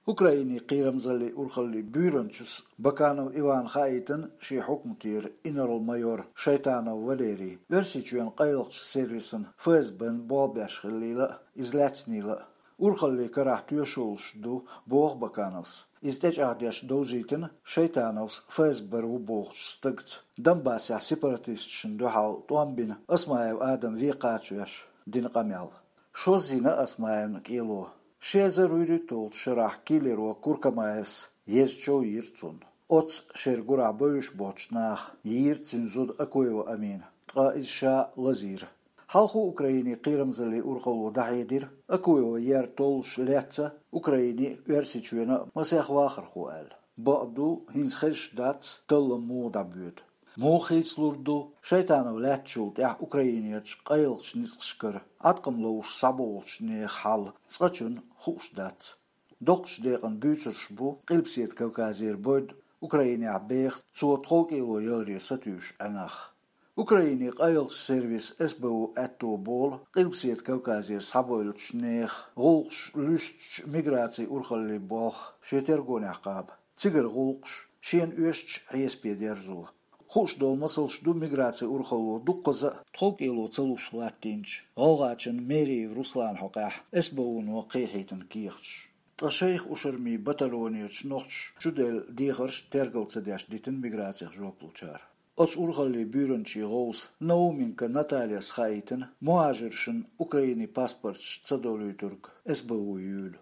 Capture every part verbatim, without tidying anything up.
Украинин кхерамзаллин урхаллин буьйранчас Баканов Ивана хаийтина шен хьукматера инарла-майор Шайтанов Валерий Оьрсийчоьнан къайлахчу сервисан ФСБ-н болх беш хиллийла а, иза лаьцнийла а. Урхаллин карахь тоьшаллаш ду, боху Бакановс. Иза тӀечӀагӀдеш довзийтина Шайтановс ФСБ-ра ву бохучу стагца, Донбассехь сепаратисташна дуьхьал тӀом бина Осмаев Адам вен кхачавеш, дина къамел. Шоззина Осмаевна кӀело. Ши эзар вуьрхӀитталгӀачу шарахь киллеро Куркамаевс езачу йира цунна. Оццу шеран гурахь бевзаш боцчу наха йийра цуьнан зуда Акуева Амина, ткъа иза ша лазийра. Хьалхо Украинин кхерамзаллин урхалло дӀахьедира, Акуева ер толлуш лаьцна Украинин а, Оьрсийчоьнан а масех вахархо аьлла. Бакъду, хӀинца хезаш дац, таллам муха дӀабоьду. Муха хийцалур ду, Шайтанов лаьцначул тӀаьхьа Украинерчу къайлахчу ницкъашкара Ӏаткъам ловш схьабогӀучу нехан хьал цкъачунна хууш дац. Доккхачу декъана буьйцурш бу Къилбаседа Кавказера бойд Украинехь беха, цо тховкӀело яларе сатуьйсуш Ӏа нах. Украинин къайлахчу сервисан СБУ аьтто болу Къилбаседа Кавказера схьабевллачу нехан гӀуллакхаш луьстучу миграцин урхаллин болх шен тергонехь кхаба. Цигара гӀуллакхаш шена оьшучу хьесапе дерзо. Хууш долу масалш ду миграцин урхалло дуккхаза а тховкӀело ца луш латтийначу ГӀалгӀайчоьнан Мериев Русланан хьокъехь СБУ-но кхехьийтина кехаташ. Ткъа шайх Ушармин батальонерчу нохчаша чуделла дехарш тергал ца деш дитина миграцих жоп лучара. Оцу урхаллин буьйранчин гӀовса Науменко Натальяс хаийтина, мухӀажаршна Украинин паспорташ ца долуьйтург СБУ юьйлу.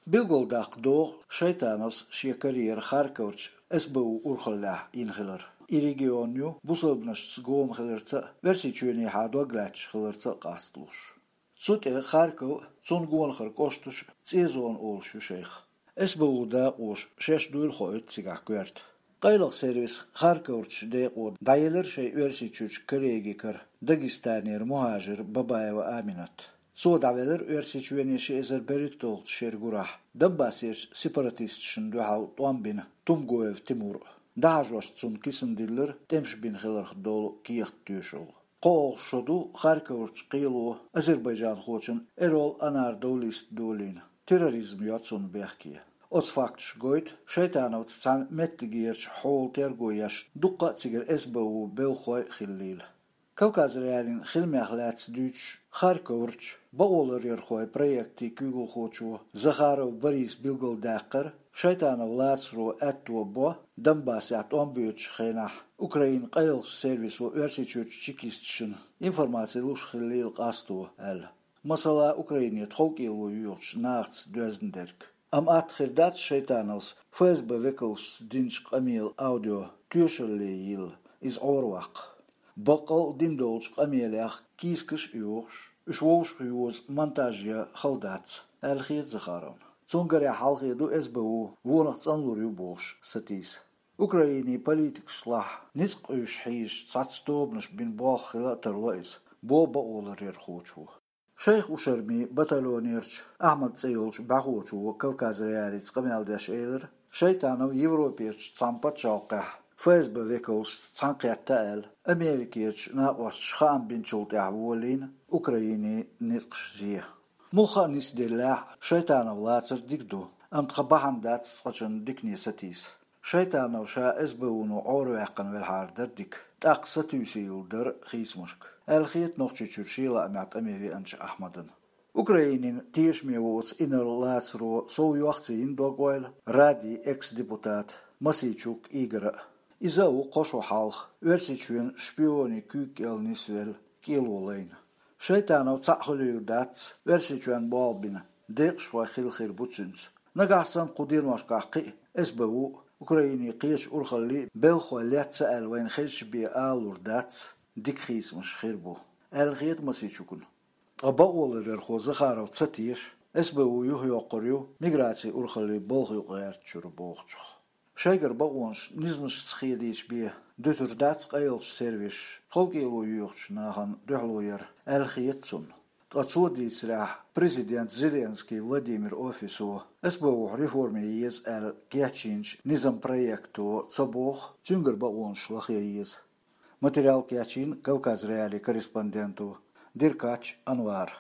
Билгалдаккха догӀу Шайтановс шен карьера Харьковрчу СБУ урхаллехь йина хилар. И регион ю бусалбанашца гома хиларца а, Оьрсийчоьнехьа дог лаьтташ хиларца а къасталуш. Цу тӀе Харьков а, цунна гонахара кӀошташ а цӀен зона олуш ю шайх. СБУ дакъоша шаьш дуйла хоуьйту цигахь коьрта. Къайлаха сервисан Харьковрчу декъо дӀаелира шайн Оьрсийчуьрчу коллегикара, Дагестанера мухӀажар Бабаева Аминат. Цо дӀавелира Оьрсийчоьне ши эзар берхӀитталгӀачу шеран гурахь Донбассерчу сепаратисташна дуьхьал тӀом бина Тумгоев Тимур а. ДӀахьажош цунна кисана диллира тӀемаш бина хиларх долу кехат тоьшалла. КхоалгӀа шо ду Харьковрчу кхело азербайджанхочун Эрол Анар Довлиста долийна. Терроризм йо цунна бехке. Оцу факташа гойту, Шайтановца цхьаьна меттигерчу хьолан терго еш дуккха а цигара СБУ белхахой а хиллийла. Кавказ.Реалиин хиламех лаьцна дуьйцуш, Харьковрчу бакъоларъярхойн проектийн куьйгалхочо Захаров Бориса билгалдаьккхира, Шайтанов лацаро аьтто бо Донбассехь тӀом боьдучу хенахь Украинан къайлахчу сервисо Оьрсийчуьрчу чекисташна информаци луш хиллийла къасто аьлла. Масала, Украине тховкӀело йоьхучу нахаца доьзна дерг. Амма атта хир дац Шайтановс ФСБ векалшца динчу къамелан аудио тоьшалле йилла, иза Ӏораваккха. Баккъал а дина долчу къамелех кийсакаш а йохуш, уьш вовшахъйоза монтаж ян хала дац, аьлла хета Захаровна. Цунгарехь хьалхе ду СБУ вонах цӀанлур ю бохуш сатийса. Украинин политикашлахь ницкъ къуьйсуш хьийзаш цхьацца тобанаш бина болх хила а тарло иза, боху бакъоларъярхочо. Шайх Ушармин батальонерчу Ахьмад цӀе йолчу бӀаьхочо Кавказ.Реалица къамел деш элира, Шайтанов Европерчу цхьана пачхьалкхехь ФСБ векалшца цхьаьнакхетта аьлла, Америкерчу накъосташа хаам бинчул тӀаьхьа волийна Украинин ницкъаш зе. Муха а нисделлехь а, Шайтанов лацар дика ду, амма тхан бахьана дац цкъачунна дикане сатийса. Шайтанов ша СБУ-но Ӏораваьккхина велхьара дара дика, тӀаккха сатуьйсийла дара хийцамашка, аьлла хета Нохчийчуьра шен лаамехь тӀаме веанчу Ахьмадана. Украинин тешаме воцу инарла лацаро сов йохций йина дог-ойла Радин экс-депутата Мосийчук Игора а. Иза а ву кхо шо хьалха Оьрсийчоьнан шпионийн куьйга кӀел нисвелла кӀело лайна. Шайтанов цхьаъ хуьлийла дац Оьрсийчоьнна болх бина, декъашхой хилла хир бу цуьнца. Нагахь санна кху деношкахь кхин а СБУ а, Украинин кхечу урхаллий а белхахой лецна аьлла вайна хезча бен алалур дац, дика хийцамаш хир бу, аьлла хета Мосийчукна. Ткъа бакъоларъярхо Захаров ца теша, СБУ юхайоккхур ю миграцин урхаллин болх юкъагӀертачуьра бохучух. Шайгара бакъонаш низамашца хедийча бен дуьтур дац къайлахчу сервисаша тховкӀело йоьхучу нахана дуьхьало яр, аьлла хета цунна. Ткъа цо дийцарехь, президент Зеленский Владимир офисо СБУ-хь реформа ян еза аьлла кечйинчу низам проекто ца боху, цуьнгара бакъонаш лахъян еза. Материал кечйина Кавказ.Реалиин корреспонденто Деркач Анвара.